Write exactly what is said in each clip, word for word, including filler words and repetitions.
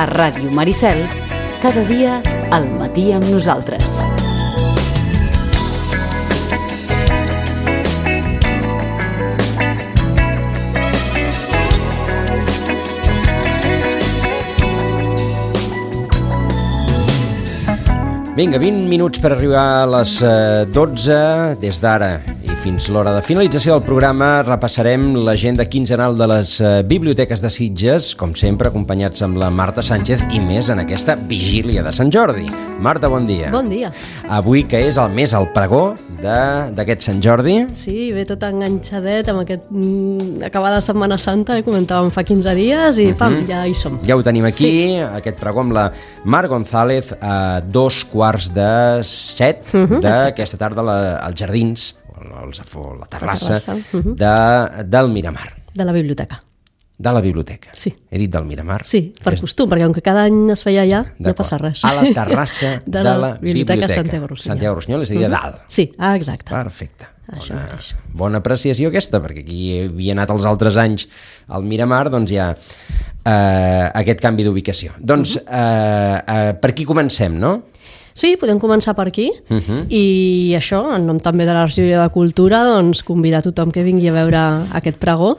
Ràdio Maricel, cada dia al matí amb nosaltres. Vinga, vint minuts per arribar a les dotze, des d'ara i fins l'hora de finalització del programa repassarem l'agenda quinzenal de les biblioteques de Sitges, com sempre acompanyats amb la Marta Sánchez i més en aquesta vigília de Sant Jordi. Marta, bon dia. Bon dia. Avui que és el mes al pregó d'aquest Sant Jordi. Sí, ve tot enganxadet amb aquest mm, acabada Setmana Santa, eh, comentàvem fa quinze dies i pam, uh -huh. ja hi som. Ja ho tenim aquí, sí. Aquest pregó amb la Mar González a dos quarts de set uh -huh, d'aquesta tarda la, als jardins, als, la terrassa, la terrassa. Uh -huh. de, del Miramar. De la biblioteca. De la biblioteca. Sí. He dit del Miramar. Sí, per és... costum, perquè com que cada any es feia allà, no passa res. A la terrassa de, de la, la biblioteca. Biblioteca Santiago Rossinyol. Santiago Rossinyol, és a dir, a dalt. Sí, ah, exacte. Perfecte. Bona, bona apreciació aquesta, perquè aquí havia anat els altres anys al Miramar, doncs hi ha eh, aquest canvi d'ubicació. Doncs uh -huh. eh, eh, per aquí comencem, no? Sí, podem començar per aquí uh -huh. i això, en nom també de la regidoria de Cultura, doncs convidar tothom que vingui a veure aquest pregó.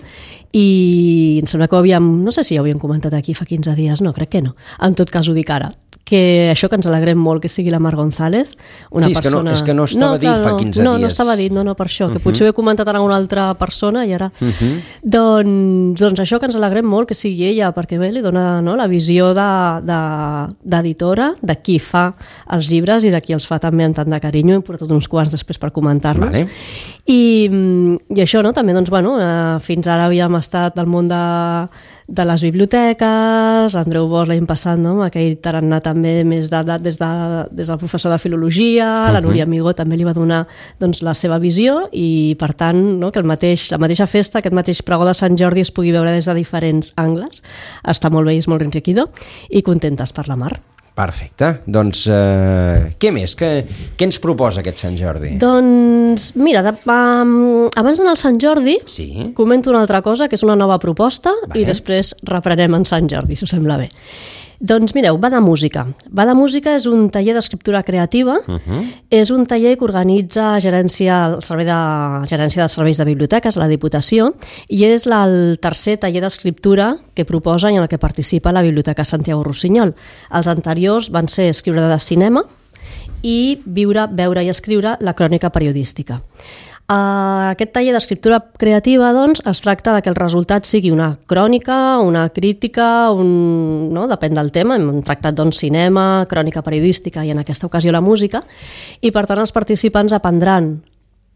I em sembla que ho havíem, no sé si ja ho havíem comentat aquí fa quinze dies, no, crec que no, en tot cas ho dic ara, que això que ens alegrem molt que sigui la Mar González, una sí, és persona... Que no, és que no estava no, dit clar, fa quinze no, dies. No, no estava dit, no, no, per això, que uh -huh. potser ho he comentat a alguna altra persona i ara... Uh -huh. doncs, doncs això que ens alegrem molt que sigui ella, perquè bé, li dona no, la visió d'editora, de, de, de qui fa els llibres i de qui els fa també amb tant de carinyo, hem portat uns quants després per comentar-los. Vale. I, I això, no, també, doncs, bueno, eh, fins ara havíem estat al món de de les biblioteques, Andreu Bosch l'any passat, no? Aquell tarannà també més d'edat des, de, des del professor de filologia, uh-huh. La Núria Amigó també li va donar doncs, la seva visió i per tant no? que el mateix, la mateixa festa, aquest mateix pregó de Sant Jordi es pugui veure des de diferents angles, està molt bé i és molt enriquidor i contentes per la Mar. Perfecte. Doncs eh, què més? Què, què ens proposa aquest Sant Jordi? Doncs mira, de, um, abans d'anar al Sant Jordi sí. comento una altra cosa que és una nova proposta vale. I després reprenem en Sant Jordi, si us sembla bé. Doncs mireu, Va de Música. Va de Música és un taller d'escriptura creativa, uh-huh. és un taller que organitza gerència, el servei de, gerència de serveis de biblioteques, la Diputació, i és la, el tercer taller d'escriptura que proposa i en el que participa la Biblioteca Santiago Rossinyol. Els anteriors van ser escriure de cinema i viure, veure i escriure la crònica periodística. Uh, aquest taller d'escriptura creativa doncs, es tracta de que el resultat sigui una crònica, una crítica, un, no? depèn del tema, hem tractat doncs, cinema, crònica periodística i en aquesta ocasió la música, i per tant els participants aprendran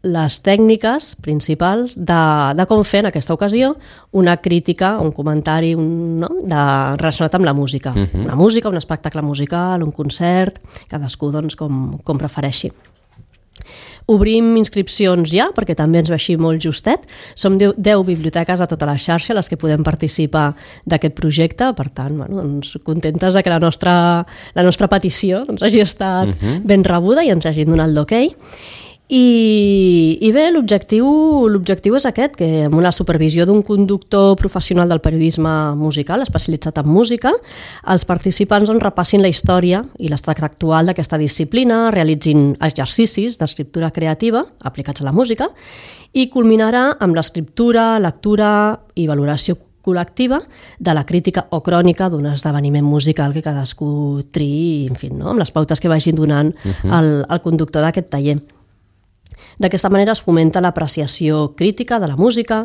les tècniques principals de, de com fer en aquesta ocasió una crítica, un comentari un, no? de, relacionat amb la música. Uh-huh. Una música, un espectacle musical, un concert, cadascú doncs, com, com prefereixi. Obrim inscripcions ja, perquè també ens va així molt justet. Som deu biblioteques de tota la xarxa les que podem participar d'aquest projecte, per tant, bueno, doncs, contentes de que la nostra, la nostra petició doncs, hagi estat uh-huh. ben rebuda i ens hagin donat l'ok. I, i bé, l'objectiu l'objectiu és aquest, que amb una supervisió d'un conductor professional del periodisme musical, especialitzat en música, els participants doncs, repassin la història i l'estat actual d'aquesta disciplina, realitzin exercicis d'escriptura creativa aplicats a la música i culminarà amb l'escriptura, lectura i valoració col·lectiva de la crítica o crònica d'un esdeveniment musical que cadascú triï, en fi, no? Amb les pautes que vagin donant uh-huh. el, el conductor d'aquest taller. D'aquesta manera es fomenta l'apreciació crítica de la música,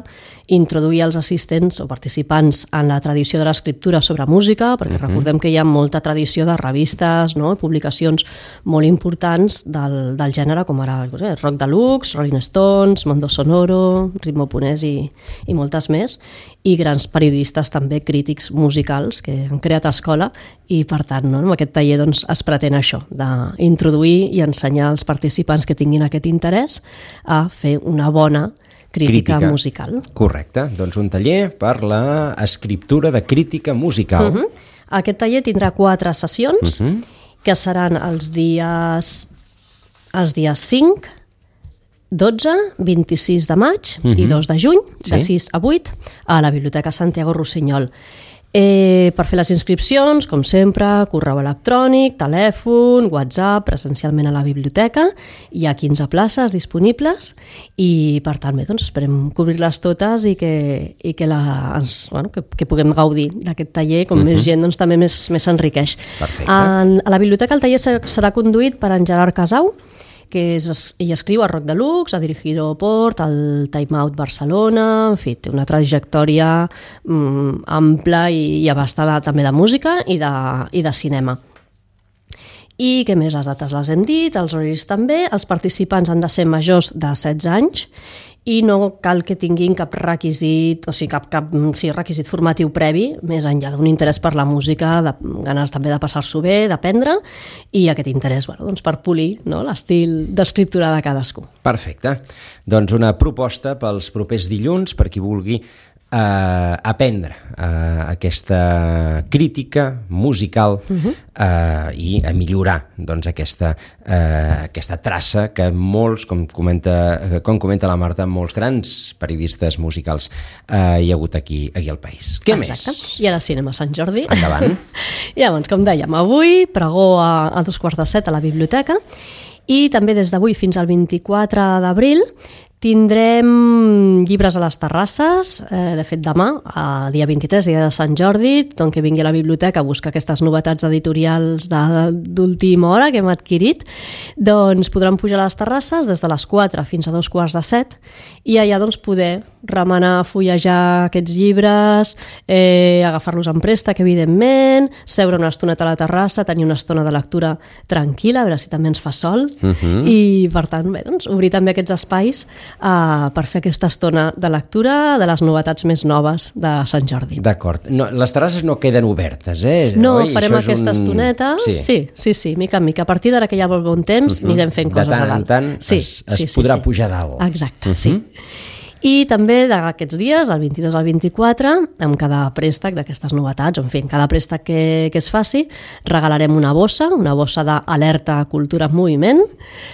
introduir els assistents o participants en la tradició de l'escriptura sobre música, perquè uh-huh. recordem que hi ha molta tradició de revistes, no? Publicacions molt importants del, del gènere, com ara eh, Rock Deluxe, Rolling Stones, Mondo Sonoro, Ritmo Punès i, i moltes més, i grans periodistes també crítics musicals que han creat escola i per tant no? amb aquest taller doncs, es pretén això, d'introduir i ensenyar als participants que tinguin aquest interès a fer una bona crítica, crítica musical. Correcte, doncs un taller per l'escriptura de crítica musical. Uh-huh. Aquest taller tindrà quatre sessions uh-huh. que seran els dies els dies cinc, dotze, vint-i-sis de maig uh-huh. i dos de juny, de sí. sis a vuit, a la Biblioteca Santiago Rossinyol. Eh, per fer les inscripcions, com sempre, correu electrònic, telèfon, WhatsApp, presencialment a la biblioteca. Hi ha quinze places disponibles i, per tant, bé, doncs esperem cobrir-les totes i que, i que, la, ens, bueno, que, que puguem gaudir d'aquest taller. Com uh-huh. més gent, doncs també més, més s'enriqueix. En, a la biblioteca el taller serà conduït per en Gerard Casau, que és, ell escriu a Rock Deluxe, ha dirigit Port, el Time Out Barcelona, en fi, té una trajectòria mm, ampla i, i abastada també de música i de, i de cinema. I què més? Les dates les hem dit, els horaris també, els participants han de ser majors de setze anys i no cal que tinguin cap requisit, o sigui, cap, cap sí, requisit formatiu previ, més enllà d'un interès per la música, de, ganes també de passar-s'ho bé, d'aprendre, i aquest interès bueno, doncs per polir, no?, l'estil d'escriptura de cadascú. Perfecte. Doncs una proposta pels propers dilluns, per qui vulgui Uh, aprendre uh, aquesta crítica musical uh-huh. uh, i a millorar doncs, aquesta, uh, aquesta traça que molts, com comenta, com comenta la Marta, molts grans periodistes musicals uh, hi ha hagut aquí, aquí al país. Què Exacte. més? I ara cinema Sant Jordi. Endavant. I llavors, com dèiem, avui pregó a, a dos quarts de set a la biblioteca i també des d'avui fins al vint-i-quatre d'abril tindrem llibres a les terrasses, eh, de fet demà, el dia vint-i-tres, dia de Sant Jordi, tothom que vingui a la biblioteca a buscar aquestes novetats editorials d'última hora que hem adquirit, doncs podran pujar a les terrasses des de les quatre fins a dos quarts de set i allà doncs poder remenar, fullejar aquests llibres, eh, agafar-los en préstec, evidentment, seure una estoneta a la terrassa, tenir una estona de lectura tranquil·la, a veure si també ens fa sol, uh-huh. i per tant, bé, doncs, obrir també aquests espais Uh, per fer aquesta estona de lectura de les novetats més noves de Sant Jordi. D'acord. No, les terrasses no queden obertes, eh? No, Oi? farem Això aquesta un... estoneta. Sí. sí, sí, sí, mica en mica. A partir d'ara que hi ha molt bon temps, uh-huh. anirem fent coses a dalt. De tant en tant sí, es, es sí, sí, podrà sí. pujar a dalt. Exacte, uh-huh. sí. I també d'aquests dies, del vint-i-dos al vint-i-quatre, amb cada préstec d'aquestes novetats, en fi, en cada préstec que, que es faci, regalarem una bossa, una bossa d'Alerta Cultura en Moviment,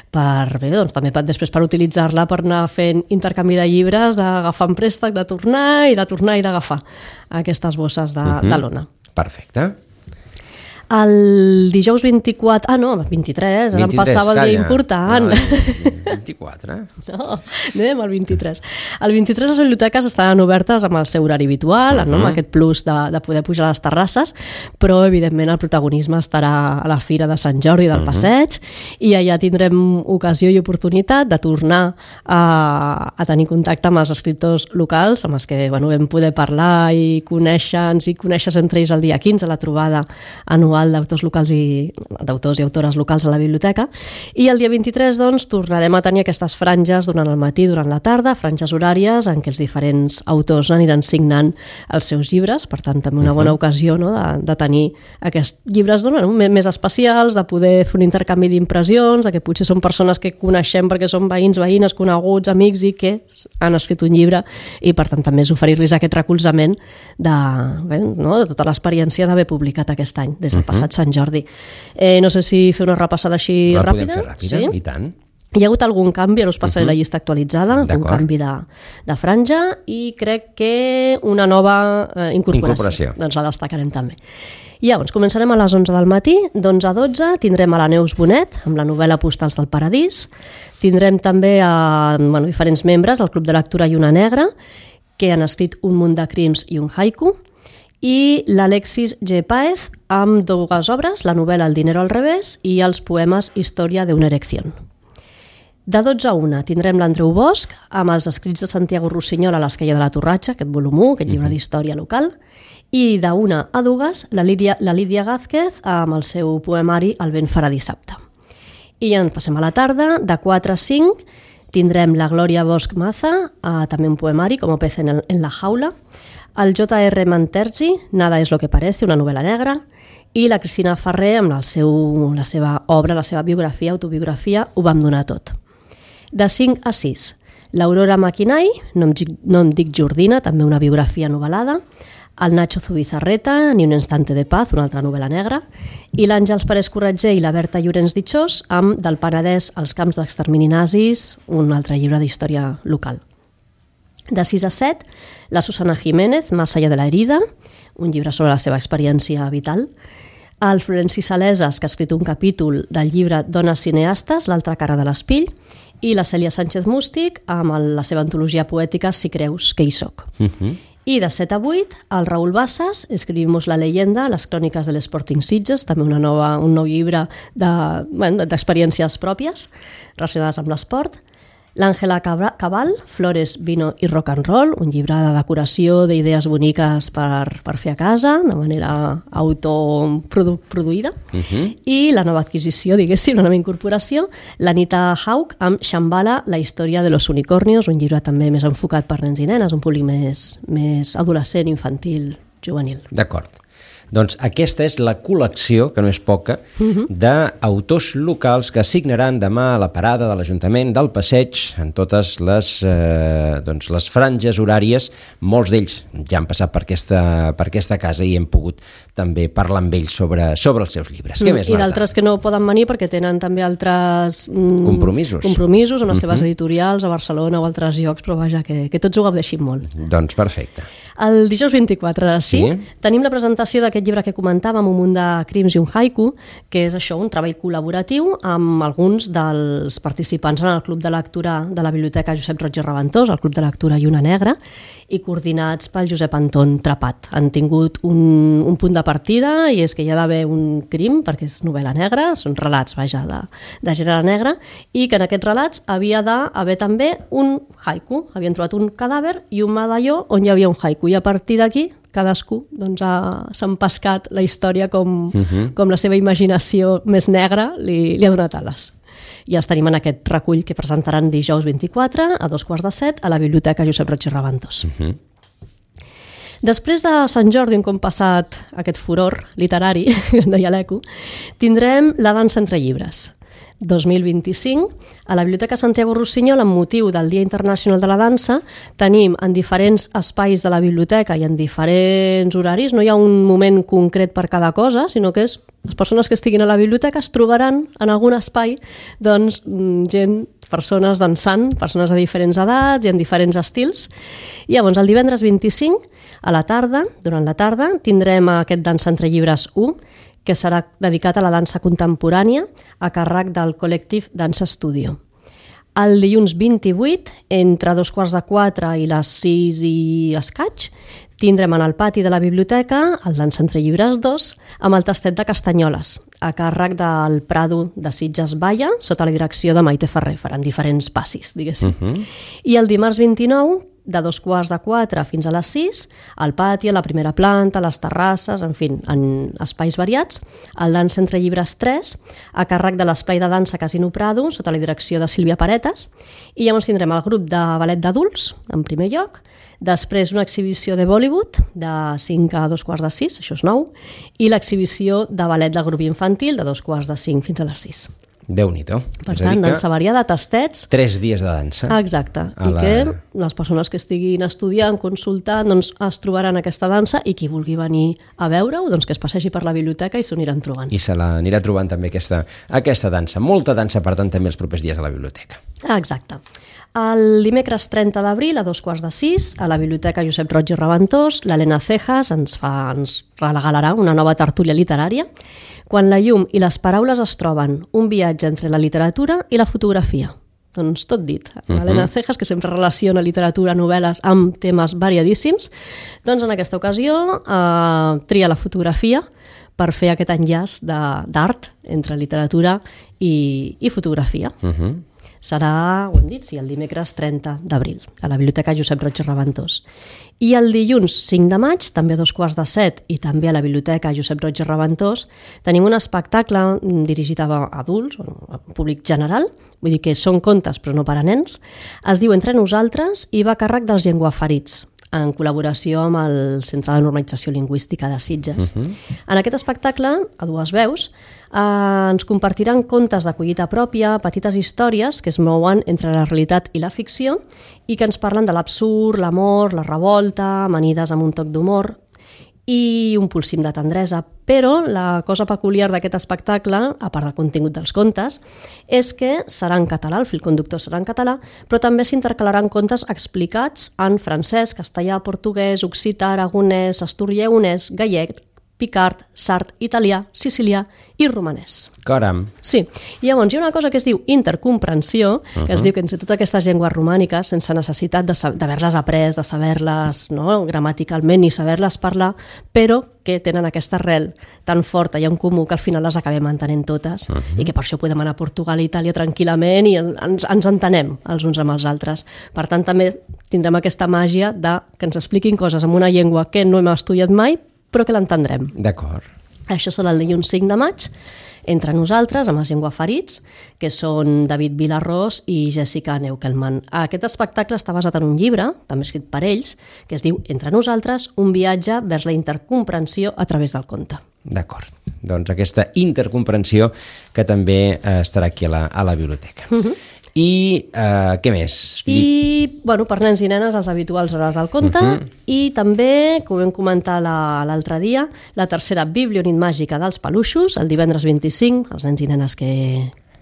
per, bé, doncs, també per, després per utilitzar-la per anar fent intercanvi de llibres, d'agafar en préstec, de tornar i de tornar i d'agafar aquestes bosses de, uh-huh. de l'Ona. Perfecte. El dijous vint-i-quatre... Ah, no, vint-i-tres, ara em passava el dia important. No, vint-i-quatre. No, anem al vint-i-tres. El vint-i-tres les biblioteques estaran obertes amb el seu horari habitual, uh-huh. no? amb aquest plus de, de poder pujar a les terrasses, però evidentment el protagonisme estarà a la Fira de Sant Jordi del uh-huh. Passeig i allà tindrem ocasió i oportunitat de tornar a, a tenir contacte amb els escriptors locals, amb els que bueno, vam poder parlar i conèixer-nos i conèixer entre ells el dia quinze, la trobada anual d'autors locals i d'autors i autores locals a la biblioteca, i el dia vint-i-tres doncs tornarem a tenir aquestes franges durant el matí, durant la tarda, franges horàries en què els diferents autors aniran signant els seus llibres, per tant també una bona ocasió no, de, de tenir aquests llibres no, més especials, de poder fer un intercanvi d'impressions, de que potser són persones que coneixem perquè són veïns, veïnes, coneguts, amics i que han escrit un llibre i per tant també és oferir-los aquest recolzament de, bé, no, de tota l'experiència d'haver publicat aquest any, des del passat Sant Jordi. Eh, no sé si fer una repassada així la ràpida. La podem fer ràpida, sí? I tant. Hi ha hagut algun canvi, ara us passaré uh-huh. la llista actualitzada, un canvi de, de franja i crec que una nova eh, incorporació. incorporació. Doncs la destacarem també. I llavors començarem a les onze del matí, d'onze a dotze tindrem a la Neus Bonet amb la novel·la Postals del Paradís, tindrem també a bueno, diferents membres del Club de Lectura Lluna Negra que han escrit un munt de crims i un haiku, i l'Alexis G. Páez amb dues obres, la novel·la El dinero al revés i els poemes Història de una erección. De dotze a una tindrem l'Andreu Bosch amb els escrits de Santiago Rossinyol a l'Esquella de la Torratxa, aquest volum u, aquest llibre d'història local, i de una a dues la Lídia, la Lídia Gázquez amb el seu poemari El vent farà dissabte. I ja en passem a la tarda, de quatre a cinc tindrem la Glòria Bosch Maza, eh, també un poemari, com Pez en, el, en la jaula, el J R Manterzi, Nada es lo que parece, una novel·la negra, i la Cristina Ferrer amb el seu, la seva obra, la seva biografia, autobiografia, Ho vam donar tot. De cinc a sis, l'Aurora Maquinai, no em, no em dic Jordina, també una biografia novel·lada, el Nacho Zubizarreta, Ni un instante de paz, una altra novel·la negra, i l'Àngels Pérez Corretger i la Berta Llorenç Ditxós amb Del Penedès als camps d'extermini nazis, un altre llibre d'història local. De sis a set, la Susana Jiménez, Más allá de la herida, un llibre sobre la seva experiència vital. El Florenci Salesas, que ha escrit un capítol del llibre Dones cineastes, l'altra cara de l'espill, i la Cèlia Sánchez Mústic, amb el, la seva antologia poètica Si creus que hi soc. Uh-huh. I de set a vuit, el Raül Bassas, Escribimos la leyenda, les cròniques de l'Sporting Sitges, també una nova, un nou llibre de, bueno, d'experiències pròpies relacionades amb l'esport. L'Àngela Cabal, Flores, vino i rock and roll, un llibre de decoració d'idees boniques per, per fer a casa, de manera autoproduïda. Uh-huh. I la nova adquisició, diguéssim, la nova incorporació, l'Anita Haug, amb Shambhala, la història de los unicornios, un llibre també més enfocat per nens i nenes, un públic més, més adolescent, infantil, juvenil. D'acord. Doncs aquesta és la col·lecció, que no és poca, uh-huh. d'autors locals que signaran demà a la parada de l'Ajuntament del Passeig en totes les, eh, doncs les franges horàries. Molts d'ells ja han passat per aquesta, per aquesta casa i hem pogut també parlar amb ells sobre, sobre els seus llibres. Mm, Què més, I d'altres que no poden venir perquè tenen també altres mm, compromisos. compromisos en les seves uh-huh. editorials a Barcelona o altres llocs, però vaja, que, que tots ho gaudeixin molt. Doncs perfecte. El dijous vint-i-quatre, sí, sí, tenim la presentació d'aquest llibre que comentàvem, Un munt de crims i un haiku, que és això, un treball col·laboratiu amb alguns dels participants en el Club de Lectura de la Biblioteca Josep Roig i Reventós, el Club de Lectura Lluna Negra, i coordinats pel Josep Anton Trapat. Han tingut un, un punt de partida, i és que hi ha d'haver un crim, perquè és novel·la negra, són relats, vaja, de, de gènere negre, i que en aquests relats havia d'haver també un haiku. Havien trobat un cadàver i un medalló on hi havia un haiku, i a partir d'aquí cadascú doncs, ha, s'ha empescat la història com, uh-huh. com la seva imaginació més negra li, li ha donat ales. I els tenim en aquest recull que presentaran dijous vint-i-quatre a dos quarts de set a la Biblioteca Josep Roig i Reventós. Uh-huh. Després de Sant Jordi, un cop passat aquest furor literari, que en deia l'Eco, tindrem la dansa entre llibres. dos mil vint-i-cinc, a la Biblioteca Santiago Rossinyol, amb motiu del Dia Internacional de la Dansa, tenim en diferents espais de la biblioteca i en diferents horaris, no hi ha un moment concret per cada cosa, sinó que és les persones que estiguin a la biblioteca es trobaran en algun espai doncs, gent, persones dansant, persones de diferents edats i en diferents estils. I llavors el divendres vint-i-cinc, a la tarda, durant la tarda, tindrem aquest Dansa entre llibres u, que serà dedicat a la dansa contemporània a càrrec del col·lectiu Dansa Studio. El dilluns vint-i-vuit, entre dos quarts de quatre i les sis i escaig, tindrem en el pati de la biblioteca el Dansa entre llibres dos amb el tastet de Castanyoles, a càrrec del Prado de Sitges Baia, sota la direcció de Maite Ferrer, faran diferents passis, diguéssim. Uh-huh. I el dimarts vint-i-nou, de dos quarts de quatre fins a les sis, al pati, a la primera planta, a les terrasses, en fi, en espais variats, el Dansa entre llibres tres, a càrrec de l'espai de dansa Casino Prado, sota la direcció de Sílvia Paretes, i llavors tindrem el grup de ballet d'adults, en primer lloc, després una exhibició de Bollywood, de cinc a dos quarts de sis, això és nou, i l'exhibició de ballet del grup infantil, de dos quarts de cinc fins a les sis. Déu-n'hi-do. Per tant, dansa variada, tastets... Tres dies de dansa. Exacte. I la... que les persones que estiguin estudiant, consultant, doncs es trobaran aquesta dansa i qui vulgui venir a veure-ho, doncs que es passegi per la biblioteca i s'ho aniran trobant. I se l'anirà trobant també aquesta, aquesta dansa. Molta dansa, per tant, també els propers dies a la biblioteca. Exacte. El dimecres trenta d'abril, a dos quarts de sis, a la Biblioteca Josep Roig i Reventós, l'Helena Cejas ens, fa, ens regalarà una nova tertúlia literària, Quan la llum i les paraules es troben, un viatge entre la literatura i la fotografia. Doncs tot dit. L'Helena Cejas, que sempre relaciona literatura, novel·les amb temes variadíssims, doncs en aquesta ocasió eh, tria la fotografia per fer aquest enllaç d'art entre literatura i, i fotografia. Uh-huh. Serà, ho hem dit, sí, el dimecres trenta d'abril, a la Biblioteca Josep Roig i Reventós. I el dilluns cinc de maig, també a dos quarts de set, i també a la Biblioteca Josep Roig i Reventós, tenim un espectacle dirigit a adults, a públic general, vull dir que són contes però no per a nens, es diu Entre nosaltres i va a càrrec dels llengüaferits, en col·laboració amb el Centre de Normalització Lingüística de Sitges. Uh-huh. En aquest espectacle, a dues veus, eh, ens compartiran contes de collita pròpia, petites històries que es mouen entre la realitat i la ficció i que ens parlen de l'absurd, l'amor, la revolta, amanides amb un toc d'humor. i un polsim de tendresa. Però la cosa peculiar d'aquest espectacle, a part del contingut dels contes, és que serà en català, el fil conductor serà en català, però també s'intercalaran contes explicats en francès, castellà, portuguès, occità, aragonès, asturieonès, gallec, picard, sard, italià, sicilià i romanès. Caram. Sí. I llavors hi ha una cosa que es diu intercomprensió, que uh-huh. es diu que entre totes aquestes llengües romàniques, sense necessitat d'haver-les après, de saber-les no, gramaticalment ni saber-les parlar, però que tenen aquesta arrel tan forta i en comú que al final les acabem entenent totes uh-huh. i que per això podem anar a Portugal i Itàlia tranquil·lament i ens, ens entenem els uns amb els altres. Per tant, també tindrem aquesta màgia de que ens expliquin coses en una llengua que no hem estudiat mai, però que l'entendrem. D'acord. Això serà el dilluns cinc de maig, entre nosaltres, amb els llengüaferits, que són David Vilarrós i Jessica Neukelman. Aquest espectacle està basat en un llibre, també escrit per ells, que es diu Entre nosaltres, un viatge vers la intercomprensió a través del conte. D'acord. Doncs aquesta intercomprensió que també eh, estarà aquí a la, a la biblioteca. Uh-huh. I eh, què més? I, bueno, per nens i nenes, els habituals hores del conte, uh-huh. i també, com vam comentar l'altre dia, la tercera Biblionit màgica dels peluixos, el divendres vint-i-cinc, els nens i nenes que,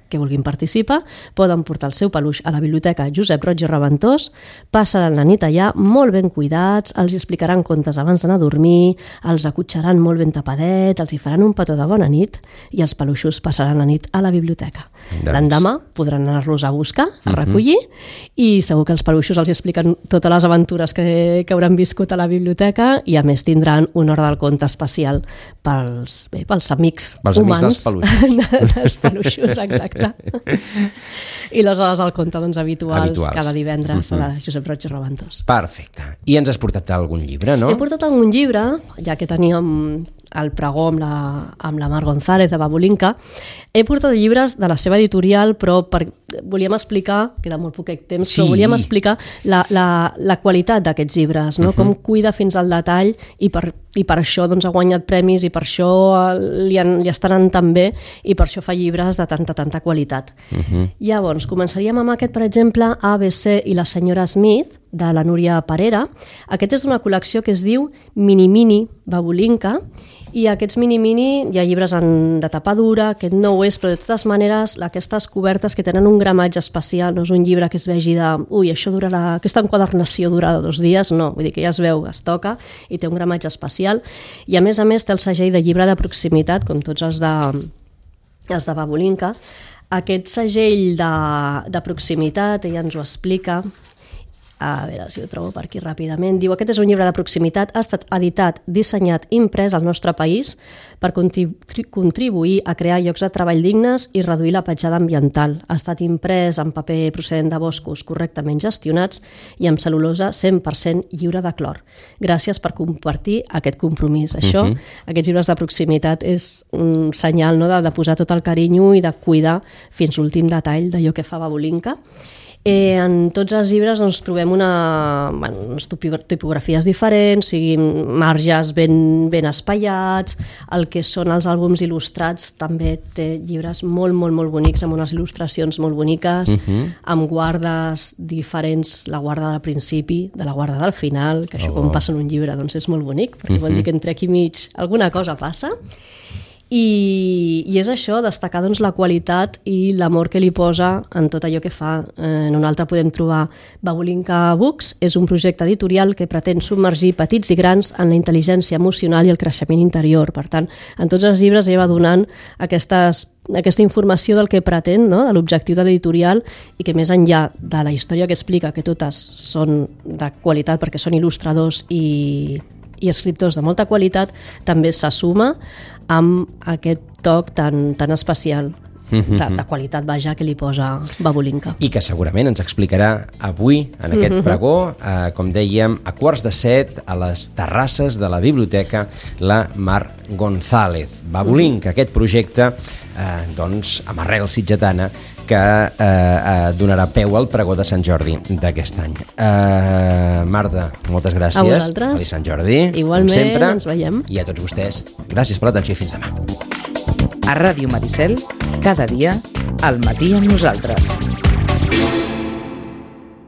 que vulguin participar, poden portar el seu peluix a la biblioteca Josep Roig i Reventós, passaran la nit allà molt ben cuidats, els explicaran contes abans d'anar a dormir, els acotxaran molt ben tapadets, els hi faran un petó de bona nit i els peluixos passaran la nit a la biblioteca. Doncs. L'endemà podran anar-los a buscar, a recollir, uh-huh. i segur que els peluixos els expliquen totes les aventures que, que hauran viscut a la biblioteca i a més tindran una hora del conte especial pels, bé, pels amics pels humans amics dels peluixos. dels peluixos, exacte. I les hores del conte doncs, habituals, habituals cada divendres uh-huh. a la Josep Roig i Reventós. Perfecte. I ens has portat algun llibre, no? He portat algun llibre, ja que teníem el pregó amb la, amb la Mar González de Babulinka. He portat llibres de la seva editorial, però per, volíem explicar, queda molt poquet temps, sí. però volíem explicar la, la, la qualitat d'aquests llibres, no? Uh-huh. Com cuida fins al detall i per, i per això doncs, ha guanyat premis i per això li, han, li estan anant tan bé i per això fa llibres de tanta, tanta qualitat. Uh-huh. Llavors, començaríem amb aquest, per exemple, A B C i la senyora Smith, de la Núria Parera. Aquest és d'una col·lecció que es diu Mini Mini Babulinka, i aquests mini-mini hi ha llibres en, de tapa dura, aquest no ho és, però de totes maneres aquestes cobertes que tenen un gramatge especial, no és un llibre que es vegi de ui, això durarà, aquesta enquadernació durarà dos dies, no, vull dir que ja es veu, es toca i té un gramatge especial i a més a més té el segell de llibre de proximitat, com tots els de, els de Babulinka. Aquest segell de, de proximitat, ella ens ho explica, a veure si ho trobo per aquí ràpidament. Diu, aquest és un llibre de proximitat, ha estat editat, dissenyat, imprès al nostre país per contribu- contribuir a crear llocs de treball dignes i reduir la petjada ambiental. Ha estat imprès en paper procedent de boscos correctament gestionats i amb cel·lulosa cent per cent lliure de clor. Gràcies per compartir aquest compromís. Això, uh-huh. aquests llibres de proximitat és un senyal, no?, de, de posar tot el carinyo i de cuidar fins l'últim detall d'allò que fa Babulinka. Eh, en tots els llibres doncs, trobem una, bueno, unes tipografies diferents, o sigui, marges ben, ben espaiats, el que són els àlbums il·lustrats també té llibres molt, molt, molt bonics, amb unes il·lustracions molt boniques, uh-huh. amb guardes diferents, la guarda del principi, de la guarda del final, que això oh. quan passa en un llibre doncs, és molt bonic, perquè uh-huh. vol dir que entre aquí mig alguna cosa passa. I, i és això, destacar doncs, la qualitat i l'amor que li posa en tot allò que fa. Eh, en un altre podem trobar Babulinka Books, és un projecte editorial que pretén submergir petits i grans en la intel·ligència emocional i el creixement interior. Per tant, en tots els llibres ella va donant aquestes, aquesta informació del que pretén, no?, de l'objectiu de l'editorial i que més enllà de la història que explica, que totes són de qualitat perquè són il·lustradors i... i escriptors de molta qualitat, també s'assuma amb aquest toc tan, tan especial de, de qualitat vaja que li posa Babulinka. I que segurament ens explicarà avui en aquest pregó, eh, com dèiem, a quarts de set a les terrasses de la biblioteca la Mar González. Babulinka, aquest projecte eh, doncs, amb arrel sitgetana que eh, eh, donarà peu al pregó de Sant Jordi d'aquest any. Eh, Marta, moltes gràcies. A vosaltres. Feliç Sant Jordi. Igualment, sempre. ens veiem. I a tots vostès, gràcies per l'atenció i fins demà. A Ràdio Maricel, cada dia, al matí amb nosaltres.